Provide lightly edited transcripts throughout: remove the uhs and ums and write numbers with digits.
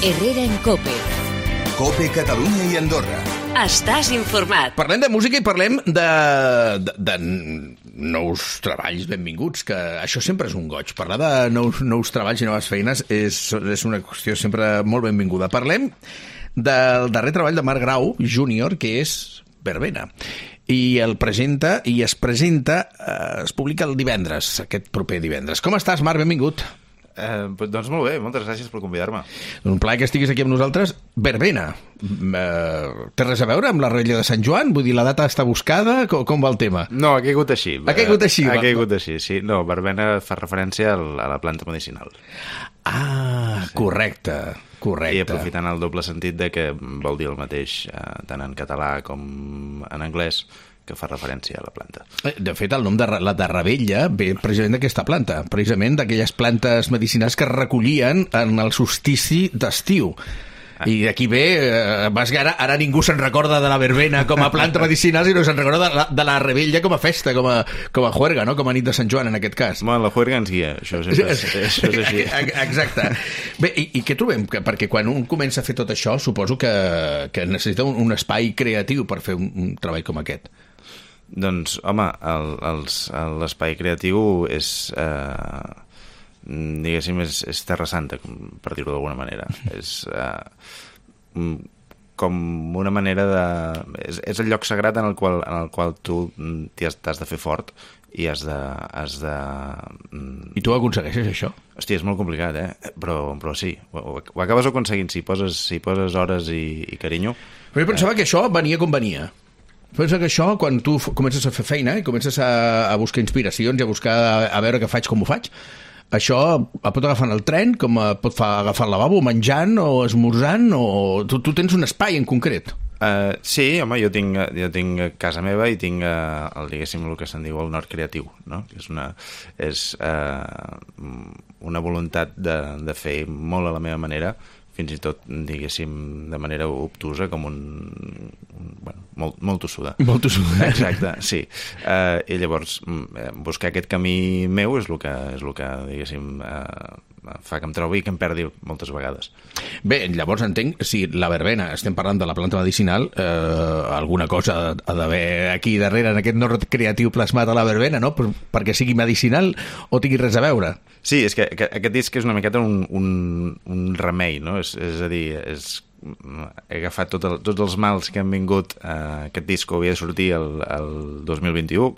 Herrera en COPE. COPE Catalunya i Andorra. Estàs informat. Parlem de música i parlem de nous treballs benvinguts, que això sempre és un goig. Parlar de nous treballs i noves feines és una qüestió sempre molt benvinguda. Parlem del darrer treball de Marc Grau Júnior, que és Verbena. I es presenta, es publica el divendres, aquest proper divendres. Com estàs, Marc? Benvingut. Doncs molt bé, moltes gràcies per convidar-me. Un plaer que estiguis aquí amb nosaltres. Verbena, té res a veure amb la Revetlla de Sant Joan? Vull dir, la data està buscada? Com va el tema? No, ha caigut així. Ha caigut així? Ha caigut així, sí. No, verbena fa referència a la planta medicinal. Ah, sí. Correcte. I aprofitant el doble sentit de que vol dir el mateix tant en català com en anglès, que fa referència a la planta. De fet, el nom de la de Ravella ve precisament d'aquesta planta, precisament d'aquelles plantes medicinals que es recollien en el solstici d'estiu. I d'aquí ve, ara ningú se'n recorda de la verbena com a planta medicinal, sinó se'n recorda de la Ravella com a festa, com a juerga, no? Com a nit de Sant Joan, en aquest cas. Bueno, la juerga ens guia, això és així. Exacte. Bé, i què trobem? Perquè quan un comença a fer tot això, suposo que necessita un espai creatiu per fer un treball com aquest. Doncs, home, l'espai creatiu és, diguéssim, és Terra Santa, per dir-ho d'alguna manera. És com una manera de... És el lloc sagrat en el qual tu t'has de fer fort i has de... I tu aconsegueixes això? Hòstia, és molt complicat, però sí. Ho acabes aconseguint si poses hores i carinyo. Però jo pensava que això venia com venia. Pensa que això, quan tu comences a fer feina i comences a buscar inspiracions i a buscar a veure què faig, com ho faig, això et pot agafar en el tren, com et pot agafar al lavabo, menjant o esmorzant, o tu tens un espai en concret. Sí, home, jo tinc casa meva i tinc, diguéssim, el que se'n diu el nord creatiu, no? Que és una voluntat de fer molt a la meva manera, fins i tot, diguéssim, de manera obtusa, com molt tossuda. Molt tossuda. Exacte, sí. I llavors, buscar aquest camí meu és el que diguéssim, fa que em trobi i que em perdi moltes vegades. Bé, llavors entenc, si la verbena, estem parlant de la planta medicinal, alguna cosa ha d'haver aquí darrere, en aquest nord creatiu plasmat a la verbena, no? Perquè sigui medicinal o tingui res a veure. Sí, és que aquest disc és una miqueta un remei, no? És a dir, he agafat tots els mals que han vingut. Aquest disc havia de sortir el 2021.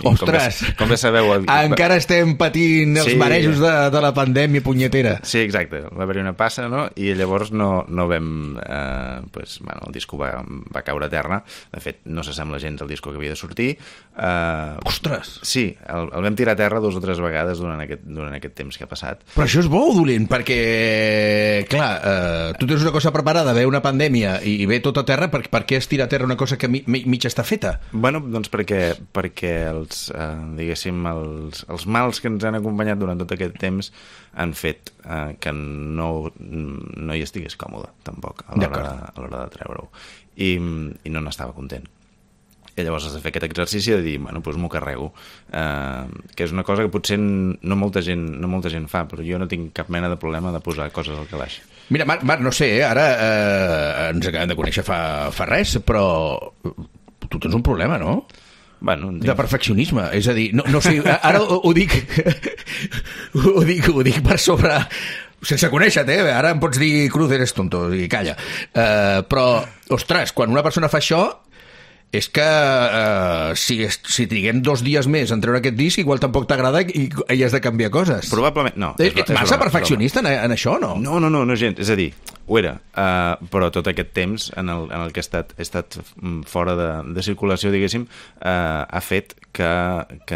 Ostres! Com bé sabeu... Encara estem patint els marejos de la pandèmia punyetera. Sí, exacte. Va haver-hi una passa, no? I llavors no vam... el disco va caure a terra. De fet, no s'assembla gens al disco que havia de sortir. Ostres! Sí, el vam tirar a terra 2 o 3 vegades durant aquest temps que ha passat. Però això és bo o dolent? Perquè, clar, tu tens una cosa preparada, ve una pandèmia i ve tot a terra, per què es tira a terra una cosa que mig està feta? Bueno, doncs perquè diguéssim, els mals que ens han acompanyat durant tot aquest temps han fet que no hi estigués còmode, tampoc, a l'hora de treure-ho. I no n'estava content. I llavors has de fer aquest exercici de dir, doncs m'ho carrego, que és una cosa que potser no molta gent fa, però jo no tinc cap mena de problema de posar coses al calaix. Mira, Marc, no sé, ara ens acabem de conèixer fa res, però tu tens un problema, no? Bueno, de perfeccionisme, és a dir, no sé, ara ho dic per sobre, sense conèixer-te, ara em pots dir cruz, eres tonto, i calla, però, ostres, quan una persona fa això, és que si triguem 2 dies més en treure aquest disc, igual tampoc t'agrada i has de canviar coses. Probablement, no. Ets massa perfeccionista en això, no? No, gens. És a dir, ho era, però tot aquest temps en el que he estat fora de circulació, diguéssim, ha fet que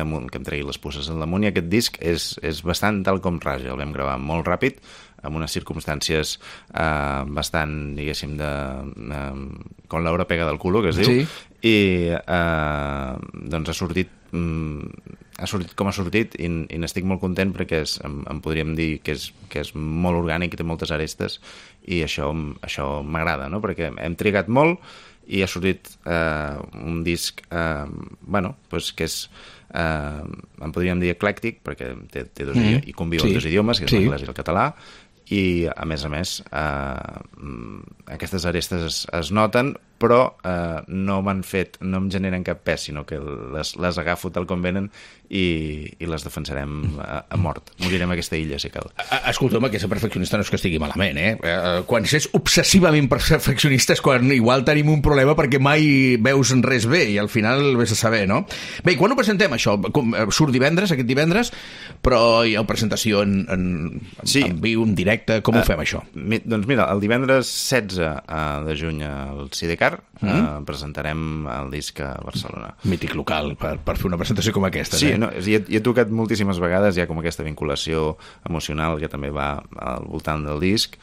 em tregui les puces al damunt, i aquest disc és bastant tal com raja. El vam gravar molt ràpid, amb unes circumstàncies bastant, diguéssim, com l'hora pega del culo, que es diu, sí. I doncs ha sortit com ha sortit, i n'estic molt content perquè em podríem dir que és molt orgànic i té moltes arestes, i això m'agrada, no? Perquè hem trigat molt i ha sortit un disc que és en podríem dir eclèctic, perquè té dos idiomes, i conviu en 2 idiomes, que és l'anglès i el català, i a més, aquestes arestes es noten, però no em generen cap pes, sinó que les agafo tal com venen i les defensarem a mort. Morirem a aquesta illa, si cal. Escolta'm, que ser perfeccionista no és que estigui malament, quan s'és obsessivament perfeccionista és quan igual tenim un problema perquè mai veus res bé i al final vés a saber, no? Bé, i quan ho presentem, això? Surt aquest divendres, però hi ha una presentació en viu, en directe, com ho fem, això? Doncs mira, el divendres 16 de juny al Sidecar presentarem el disc a Barcelona. Mític local, per fer una presentació com aquesta. Sí, hi he tocat moltíssimes vegades, hi ha com aquesta vinculació emocional que també va al voltant del disc,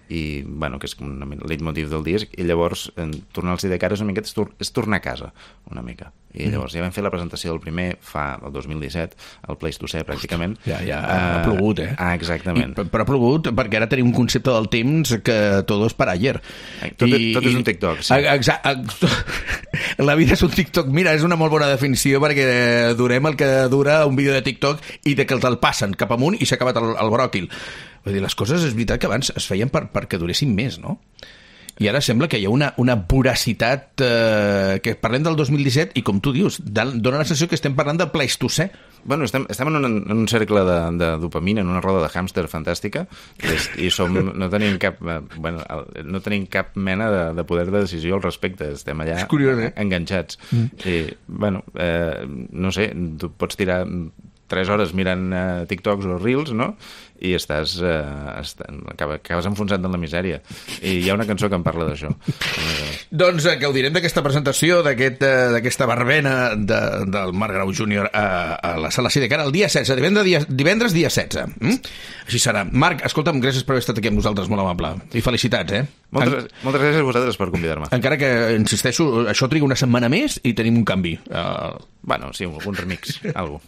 i bueno, que és com el leitmotiv del disc, i llavors tornar al Sidecar és una miqueta és tornar a casa una mica, i llavors ja vam fer la presentació del primer el 2017 al Pleistocè pràcticament. Ja ha plogut, exactament. Però ha plogut perquè ara tenim un concepte del temps que tot és per ayer. Tot és un TikTok, sí. La vida és un TikTok. Mira, és una molt bona definició perquè durem el que dura un vídeo de TikTok i de que te'l passen cap amunt i s'ha acabat el bròquil. Vull dir, les coses és veritat que abans es feien perquè duressin més, no? I ara sembla que hi ha una voracitat que parlem del 2017 i, com tu dius, dona la sensació que estem parlant del Pleistocè. Bueno, estem en un cercle de dopamina, en una roda de hàmster fantàstica, i no tenim cap mena de poder de decisió al respecte. Estem allà enganxats. I, bueno, no sé, tu pots tirar 3 hores mirant TikToks o Reels, no? I acabes enfonsat en la misèria. I hi ha una cançó que em parla d'això. Doncs gaudirem d'aquesta presentació, d'aquesta verbena del Marc Grau Júnior a la Sala Sidecar el dia 16, divendres dia 16. Així serà. Marc, escolta'm, gràcies per haver estat aquí amb nosaltres, molt amable. I felicitats, Moltes gràcies a vosaltres per convidar-me. Encara que, insisteixo, això triga una setmana més i tenim un canvi. Bueno, sí, algun remix, algo.